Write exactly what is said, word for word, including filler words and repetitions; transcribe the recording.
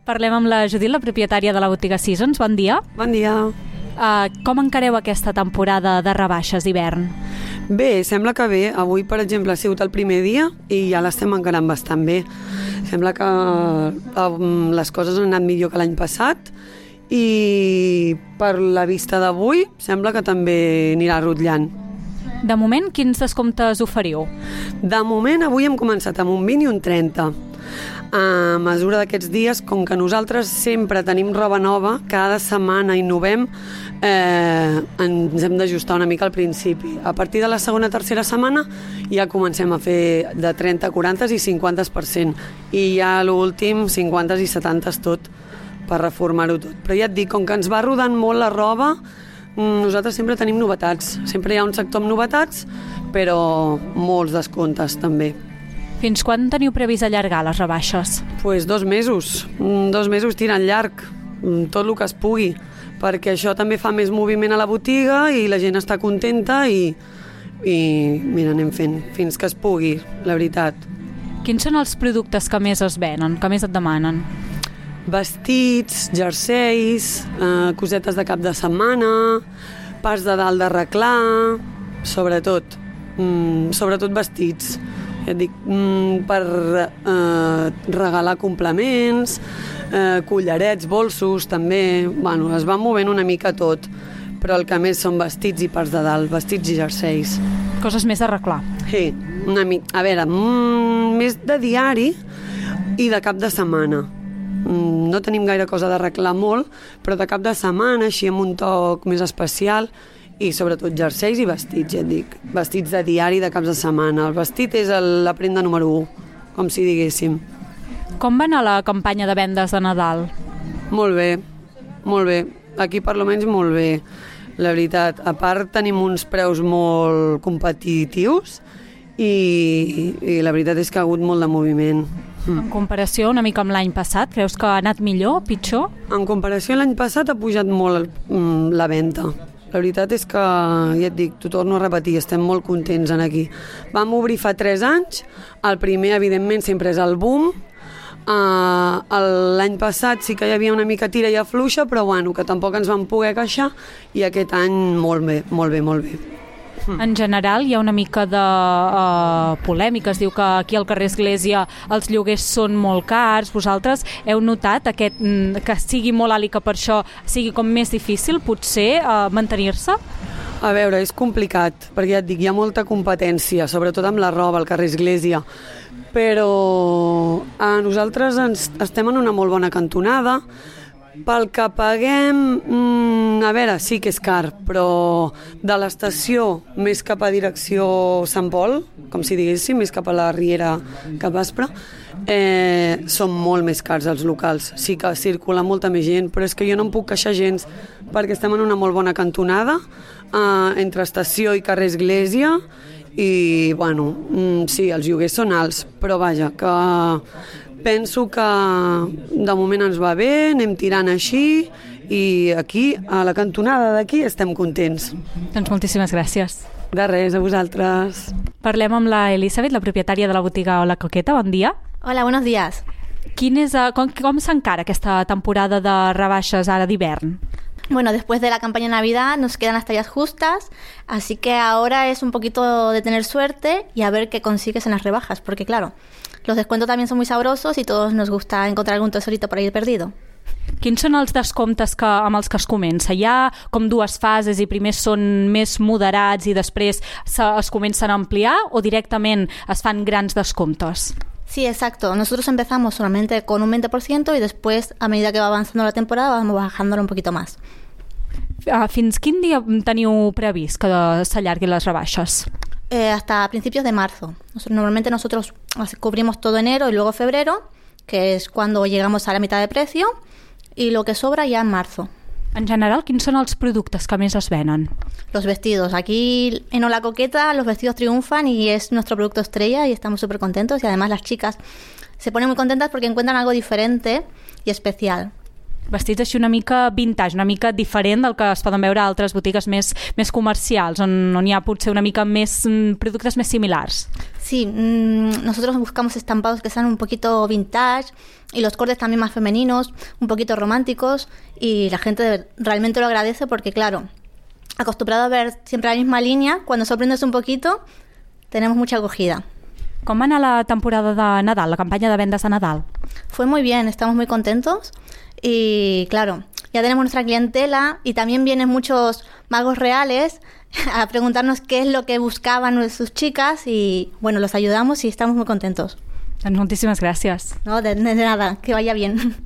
Parlem amb la Judit, la propietària de la botiga Seasons. Bon dia. Bon dia. Uh, com encareu aquesta temporada de rebaixes d'hivern? Bé, sembla que bé. Avui, per exemple, ha sigut el primer dia i ja l'estem encarant bastant bé. Sembla que um, les coses han anat millor que l'any passat i per la vista d'avui sembla que també anirà rotllant. De moment, quins descomptes oferiu? De moment, avui hem començat amb un vint i un trenta. A mesura d'aquests dies, com que nosaltres sempre tenim roba nova, cada setmana innovem, eh, ens hem d'ajustar una mica al principi. A partir de la segona o tercera setmana ja comencem a fer de trenta, quaranta i cinquanta per cent. I ja l'últim, cinquanta i setanta tot, per reformar-ho tot. Però ja et dic, com que ens va rodant molt la roba, nosaltres sempre tenim novetats. Sempre hi ha un sector amb novetats, però molts descomptes també. Fins quan teniu previst allargar les rebaixes? Pues dos mesos, dos mesos tirant llarg, tot el que es pugui, perquè això també fa més moviment a la botiga i la gent està contenta i, i mira, anem fent fins que es pugui, la veritat. Quins són els productes que més es venen, que més et demanen? Vestits, jerseis, eh, cosetes de cap de setmana, parts de dalt de reclar, sobretot, mm, sobretot vestits. Ja et dic, mm, per eh, regalar complements, eh, collarets, bolsos, també. Bueno, es va movent una mica tot, però el que més són vestits i parts de dalt, vestits i jerseis. Coses més d'arreglar. Sí, una mica. A veure, mm, més de diari i de cap de setmana. Mm, no tenim gaire cosa d'arreglar molt, però de cap de setmana, així amb un toc més especial, i sobretot jerseis i vestits, ja et dic. Vestits de diari de caps de setmana. El vestit és el, la prenda número u, com si diguéssim. Com va anar la campanya de vendes de Nadal? Molt bé, molt bé. Aquí per almenys molt bé, la veritat. A part tenim uns preus molt competitius i, i la veritat és que ha hagut molt de moviment. En comparació una mica amb l'any passat, creus que ha anat millor, pitjor? En comparació a l'any passat ha pujat molt el, la venda. La veritat és que, ja et dic, t'ho torno a repetir, estem molt contents en aquí. Vam obrir fa tres anys, el primer, evidentment, sempre és el boom. Uh, l'any passat sí que hi havia una mica tira i afluixa, però bueno, que tampoc ens vam poder queixar, i aquest any molt bé, molt bé, molt bé. En general hi ha una mica de uh, polèmica, es diu que aquí al carrer Església els lloguers són molt cars. Vosaltres heu notat aquest, que sigui molt alt i que per això sigui com més difícil potser uh, mantenir-se? A veure, és complicat, perquè ja et dic, hi ha molta competència, sobretot amb la roba al carrer Església, però a nosaltres ens, estem en una molt bona cantonada. Pel que paguem, mm, a veure, sí que és car, però de l'estació més cap a direcció Sant Pol, com si diguéssim, més cap a la Riera cap Aspre, eh, són molt més cars els locals. Sí que circula molta més gent, però és que jo no em puc queixar gens, perquè estem en una molt bona cantonada, eh, entre estació i carrer Església, i, bueno, mm, sí, els lloguers són alts, però vaja, que penso que de moment ens va bé, anem tirant així i aquí, a la cantonada d'aquí, estem contents. Doncs moltíssimes gràcies. De res, a vosaltres. Parlem amb la Elisabet, la propietària de la botiga La Coqueta. Bon dia. Hola, buenos días. Quin és, com com s'encara aquesta temporada de rebaixes ara d'hivern? Bueno, después de la campaña de Navidad nos quedan las tallas justas, así que ahora es un poquito de tener suerte y a ver qué consigues en las rebajas, porque claro, los descuentos también son muy sabrosos y todos nos gusta encontrar algún tesorito por ahí perdido. Quins són els descomptes que, amb els que es comença? Hi ha com dues fases i primer són més moderats i després se, es comencen a ampliar o directament es fan grans descomptes? Sí, exacto. Nosotros empezamos solamente con un veinte por ciento y después, a medida que va avanzando la temporada, vamos bajándolo un poquito más. Fins quin dia teniu previst que s'allarguin les rebaixes? Eh, hasta principios de marzo. Nosotros, normalmente nosotros cubrimos todo enero y luego febrero, que es cuando llegamos a la mitad de precio, y lo que sobra ya en marzo. En general, quins són els productes que més es venen? Los vestidos. Aquí en La Coqueta los vestidos triunfan y es nuestro producto estrella y estamos súper contentos, y además las chicas se ponen muy contentas porque encuentran algo diferente y especial. Vestits així una mica vintage, una mica diferent del que es poden veure a altres botigues més, més comercials, on, on hi ha potser una mica més productes més similars. Sí, mmm, nosotros buscamos estampados que sean un poquito vintage y los cortes también más femeninos, un poquito románticos, y la gente realmente lo agradece porque, claro, acostumbrado a ver siempre la misma línea, cuando sorprendes un poquito, tenemos mucha acogida. Com va anar la temporada de Nadal, la campanya de vendes de Nadal? Fue muy bien, estamos muy contentos y, claro, ya tenemos nuestra clientela y también vienen muchos magos reales a preguntarnos qué es lo que buscaban sus chicas y, bueno, los ayudamos y estamos muy contentos. Doncs moltíssimes gràcies. No, de, de nada, que vaya bien.